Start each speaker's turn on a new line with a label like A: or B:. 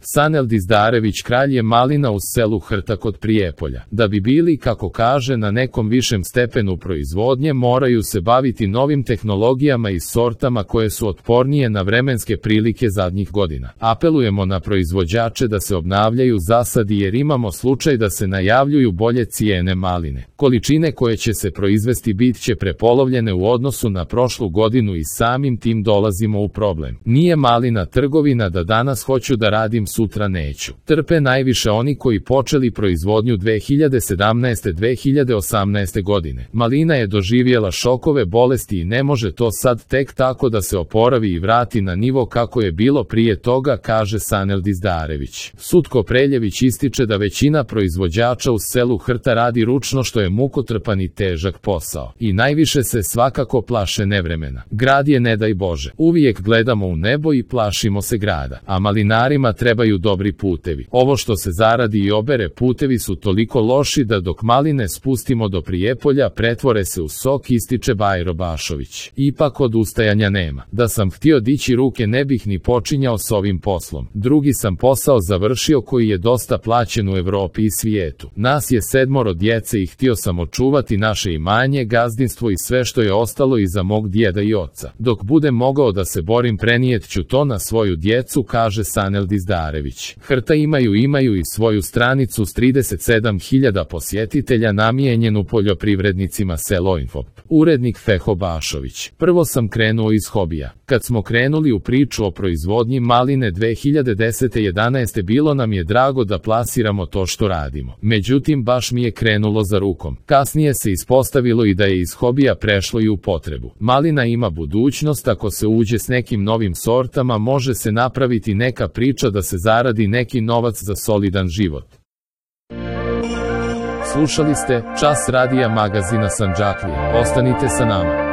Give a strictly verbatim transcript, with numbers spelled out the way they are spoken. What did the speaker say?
A: Sanel Dizdarević kralj je malina u selu Hrta kod Prijepolja. Da bi bili, kako kaže, na nekom višem stepenu proizvodnje, moraju se baviti novim tehnologijama i sortama koje su otpornije na vremenske prilike zadnjih godina. Apelujemo na proizvođače da se obnavljaju zasadi jer imamo slučaj da se najavljuju bolje cijene maline. Količine koje će se proizvesti bit će prepolovljene u odnosu na prošlu godinu i samim tim dolazimo u problem. Nije malina trgovina da danas hoću da radim, sutra neću. Trpe najviše oni koji počeli proizvodnju dve hiljade sedamnaeste. dve hiljade osamnaeste. godine. Malina je doživjela šokove bolesti i ne može to sad tek tako da se oporavi i vrati na nivo kako je bilo prije toga, kaže Sanel Dizdarević. Sutko Preljević ističe da većina proizvođača u selu Hrta radi ručno, što je mukotrpan i težak posao. I najviše se svakako plaše nevremena. Grad je, ne daj Bože. Uvijek gledamo u nebo i plašimo se grada. A malinarima trebaju dobri putevi. Ovo što se zaradi i obere, putevi su toliko loši da dok maline spustimo do Prijepolja pretvore se u sok, ističe Bajro Bašović. Ipak odustajanja nema. Da sam htio dići ruke ne bih ni počinjao s ovim poslom. Drugi sam posao završio koji je dosta plaćen u Evropi i svijetu. Nas je sedmoro djece i htio sam očuvati naše imanje, gazdinstvo i sve što je ostalo iza mog djeda i oca. Dok budem mogao da se borim, prenijet ću to na svoju djecu, kaže Sanel Dizdarević. Hrta imaju imaju i svoju stranicu s trideset sedam hiljada posjetitelja namijenjenu poljoprivrednicima Selo Info. Urednik Feho Bašović. Prvo sam krenuo iz hobija. Kad smo krenuli u priču o proizvodnji maline dve hiljade desete. jedanaeste. bilo nam je drago da plasiramo to što radimo. Međutim, baš mi je krenulo za rukom. Kasnije se ispostavilo i da je iz hobija prešlo i u potrebu. Malina ima budućnost, ako se uđe s nekim novim sortama može se napraviti neka priča da se zaradi neki novac za solidan život. Slušali ste Čas radija magazina Sandžaklija. Ostanite sa nama.